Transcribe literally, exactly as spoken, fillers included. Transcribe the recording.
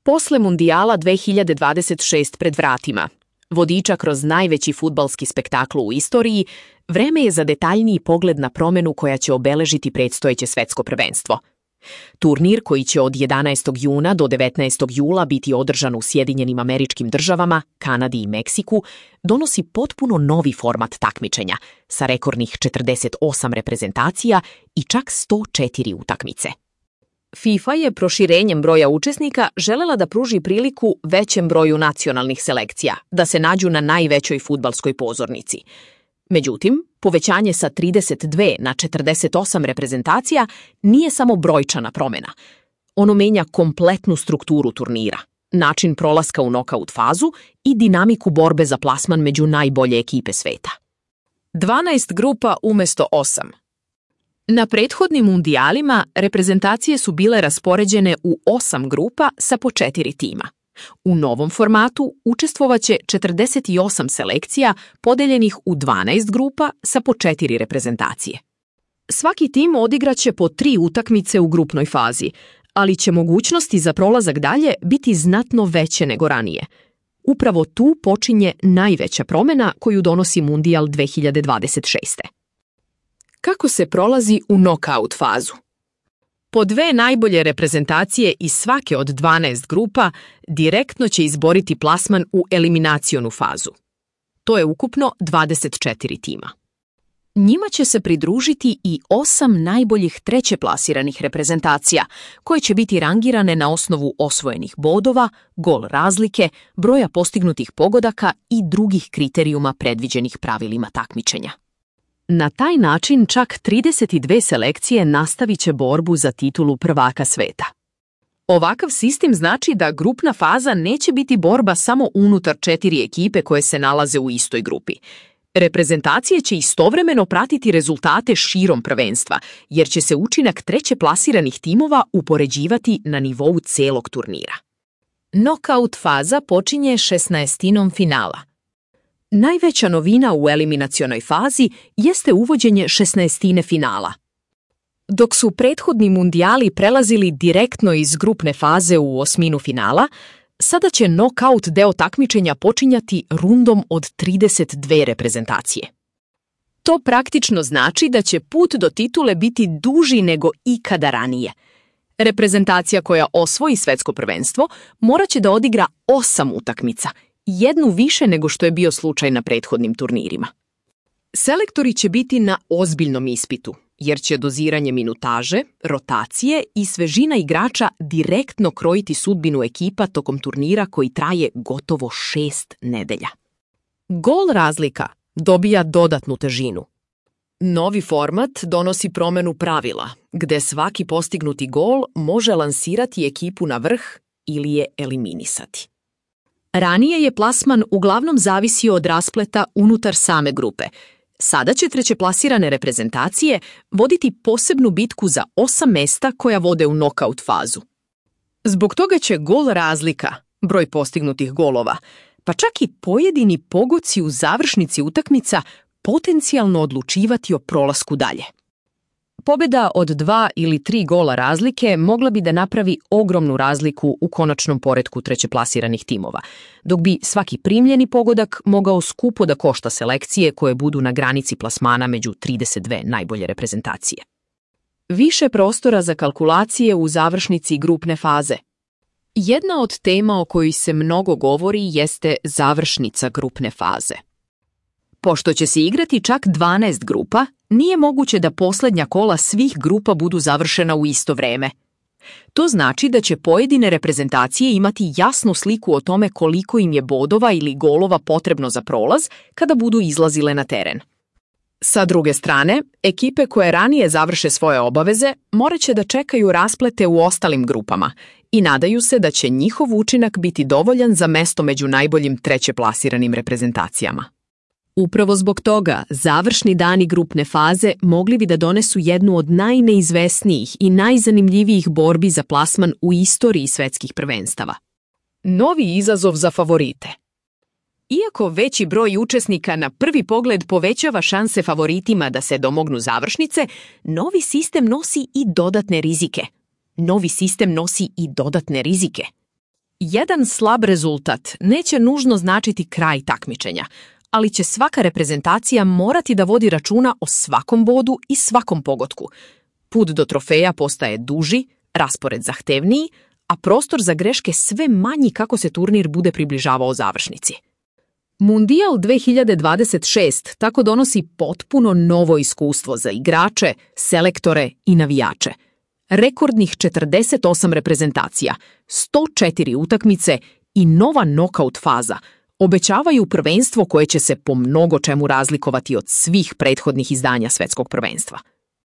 Posle Mundijala dve hiljade dvadeset šest pred vratima, vodiča kroz najveći fudbalski spektakl u istoriji, vreme je za detaljniji pogled na promenu koja će obeležiti predstojeće svetsko prvenstvo. Turnir, koji će od jedanaestog juna do devetnaestog jula biti održan u Sjedinjenim Američkim Državama, Kanadi i Meksiku, donosi potpuno novi format takmičenja sa rekordnih četrdeset osam reprezentacija i čak sto četiri utakmice. FIFA je proširenjem broja učesnika želela da pruži priliku većem broju nacionalnih selekcija da se nađu na najvećoj fudbalskoj pozornici. Međutim, povećanje sa trideset dve na četrdeset osam reprezentacija nije samo brojčana promjena. Ono menja kompletnu strukturu turnira, način prolaska u nokaut fazu i dinamiku borbe za plasman među najbolje ekipe sveta. dvanaest grupa umjesto osam. Na prethodnim mundijalima reprezentacije su bile raspoređene u osam grupa sa po četiri tima. U novom formatu učestvovaće četrdeset osam selekcija podeljenih u dvanaest grupa sa po četiri reprezentacije. Svaki tim odigraće po tri utakmice u grupnoj fazi, ali će mogućnosti za prolazak dalje biti znatno veće nego ranije. Upravo tu počinje najveća promjena koju donosi Mundijal dve hiljade dvadeset šeste. Kako se prolazi u nokaut fazu? Po dve najbolje reprezentacije iz svake od dvanaest grupa direktno će izboriti plasman u eliminacionu fazu. To je ukupno dvadeset četiri tima. Njima će se pridružiti i osam najboljih treće plasiranih reprezentacija, koje će biti rangirane na osnovu osvojenih bodova, gol razlike, broja postignutih pogodaka i drugih kriterijuma predviđenih pravilima takmičenja. Na taj način čak trideset dve selekcije nastavit će borbu za titulu prvaka sveta. Ovakav sistem znači da grupna faza neće biti borba samo unutar četiri ekipe koje se nalaze u istoj grupi. Reprezentacije će istovremeno pratiti rezultate širom prvenstva, jer će se učinak treće plasiranih timova upoređivati na nivou celog turnira. Nokaut faza počinje šesnaestinom finala. Najveća novina u eliminacionoj fazi jeste uvođenje šesnaestine finala. Dok su prethodni mundijali prelazili direktno iz grupne faze u osminu finala, sada će nokaut deo takmičenja počinjati rundom od trideset dve reprezentacije. To praktično znači da će put do titule biti duži nego ikada ranije. Reprezentacija koja osvoji svetsko prvenstvo morat će da odigra osam utakmica, jednu više nego što je bio slučaj na prethodnim turnirima. Selektori će biti na ozbiljnom ispitu, jer će doziranje minutaže, rotacije i svežina igrača direktno krojiti sudbinu ekipa tokom turnira koji traje gotovo šest nedelja. Gol razlika dobija dodatnu težinu. Novi format donosi promenu pravila, gde svaki postignuti gol može lansirati ekipu na vrh ili je eliminisati. Ranije je plasman uglavnom zavisio od raspleta unutar same grupe. Sada će trećeplasirane reprezentacije voditi posebnu bitku za osam mesta koja vode u nokaut fazu. Zbog toga će gol razlika, broj postignutih golova, pa čak i pojedini pogoci u završnici utakmica potencijalno odlučivati o prolasku dalje. Pobjeda od dva ili tri gola razlike mogla bi da napravi ogromnu razliku u konačnom poretku trećeplasiranih timova, dok bi svaki primljeni pogodak mogao skupo da košta selekcije koje budu na granici plasmana među trideset dve najbolje reprezentacije. Više prostora za kalkulacije u završnici grupne faze. Jedna od tema o kojoj se mnogo govori jeste završnica grupne faze. Pošto će se igrati čak dvanaest grupa, nije moguće da posljednja kola svih grupa budu završena u isto vreme. To znači da će pojedine reprezentacije imati jasnu sliku o tome koliko im je bodova ili golova potrebno za prolaz kada budu izlazile na teren. Sa druge strane, ekipe koje ranije završe svoje obaveze morat će da čekaju rasplete u ostalim grupama i nadaju se da će njihov učinak biti dovoljan za mesto među najboljim trećeplasiranim reprezentacijama. Upravo zbog toga, završni dani grupne faze mogli bi da donesu jednu od najneizvesnijih i najzanimljivijih borbi za plasman u istoriji svetskih prvenstava. Novi izazov za favorite. Iako veći broj učesnika na prvi pogled povećava šanse favoritima da se domognu završnice, novi sistem nosi i dodatne rizike. Novi sistem nosi i dodatne rizike. Jedan slab rezultat neće nužno značiti kraj takmičenja, ali će svaka reprezentacija morati da vodi računa o svakom bodu i svakom pogotku. Put do trofeja postaje duži, raspored zahtevniji, a prostor za greške sve manji kako se turnir bude približavao završnici. Mundijal dve hiljade dvadeset šest tako donosi potpuno novo iskustvo za igrače, selektore i navijače. Rekordnih četrdeset osam reprezentacija, sto četiri utakmice i nova nokaut faza obećavaju prvenstvo koje će se po mnogo čemu razlikovati od svih prethodnih izdanja svetskog prvenstva.